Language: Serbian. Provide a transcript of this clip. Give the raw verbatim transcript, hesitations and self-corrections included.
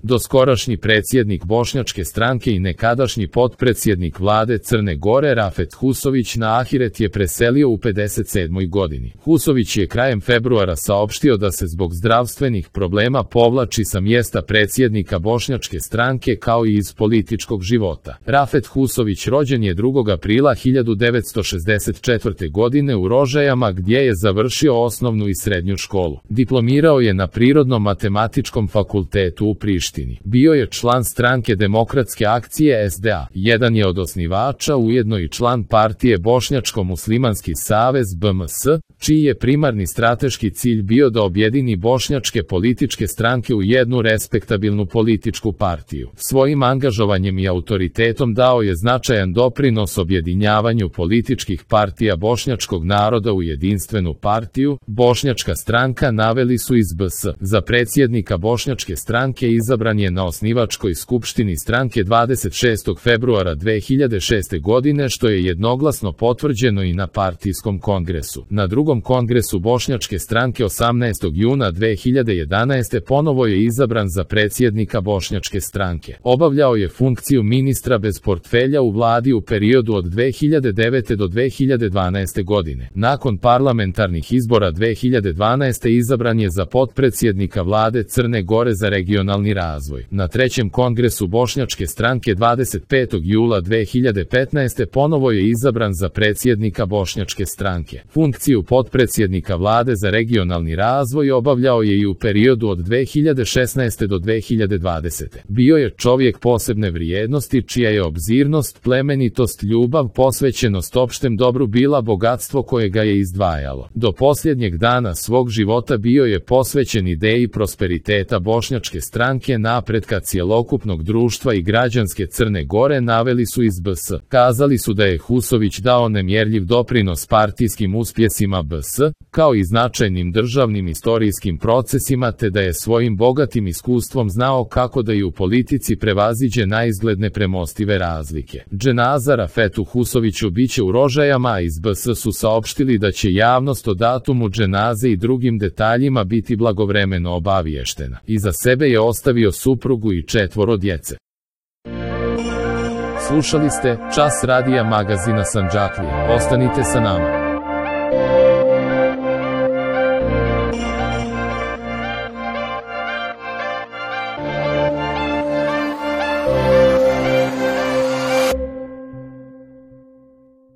Doskorašnji predsjednik Bošnjačke stranke i nekadašnji potpredsjednik vlade Crne Gore Rafet Husović na ahiret je preselio u pedeset sedmoj godini. Husović je krajem februara saopštio da se zbog zdravstvenih problema povlači sa mjesta predsjednika Bošnjačke stranke kao i iz političkog života. Rafet Husović rođen je drugog aprila hiljadu devetsto šezdeset četvrte. godine u Rožajama gdje je završio osnovnu i srednju školu. Diplomirao je na Prirodno-matematičkom fakultetu u Prištini. Bio je član stranke Demokratske akcije S D A. Jedan je od osnivača, ujedno i član partije Bošnjačko-muslimanski savez B M S, čiji je primarni strateški cilj bio da objedini bošnjačke političke stranke u jednu respektabilnu političku partiju. Svojim angažovanjem i autoritetom dao je značajan doprinos objedinjavanju političkih partija bošnjačkog naroda u jedinstvenu partiju. Bošnjačka stranka naveli su iz B S. Za predsjednika Bošnjačke stranke izabran je na osnivačkoj skupštini stranke dvadeset šestog februara dve hiljade šeste. godine, što je jednoglasno potvrđeno i na partijskom kongresu. Na drugom kongresu Bošnjačke stranke osamnaestog juna dve hiljade jedanaeste. ponovo je izabran za predsjednika Bošnjačke stranke. Obavljao je funkciju ministra bez portfelja u vladi u periodu od dve hiljade devete. do dve hiljade dvanaeste. godine. Nakon parlamentarnih izbora dve hiljade dvanaeste. izabran je za potpredsjednika vlade Crne Gore za regionalni razvoj. Na trećem kongresu Bošnjačke stranke dvadeset petog jula dve hiljade petnaeste. ponovo je izabran za predsjednika Bošnjačke stranke. Funkciju potpredsjednika vlade za regionalni razvoj obavljao je i u periodu od dve hiljade šesnaeste. do dve hiljade dvadesete. Bio je čovjek posebne vrijednosti čija je obzirnost, plemenitost, ljubav, posvećenost opštem dobru bila bogatstvo koje ga je izdvajalo. Do posljednjeg dana svog života bio je posvećen ideji prosperiteta Bošnjačke stranke, napretka cjelokupnog društva i građanske Crne Gore, naveli su iz B S. Kazali su da je Husović dao nemjerljiv doprinos partijskim uspjesima B S, kao i značajnim državnim istorijskim procesima, te da je svojim bogatim iskustvom znao kako da i u politici prevaziđe naizgled nepremostive razlike. Dženaza Rafetu Husoviću biće u Rožajama, a iz B S su saopštili da će javnost o datumu dženaze i drugim detaljima biti blagovremeno obaviještena. Iza sebe je ostavio suprugu i četvoro djece. Slušali ste Čas radija magazina Sandžaklija. Ostanite sa nama.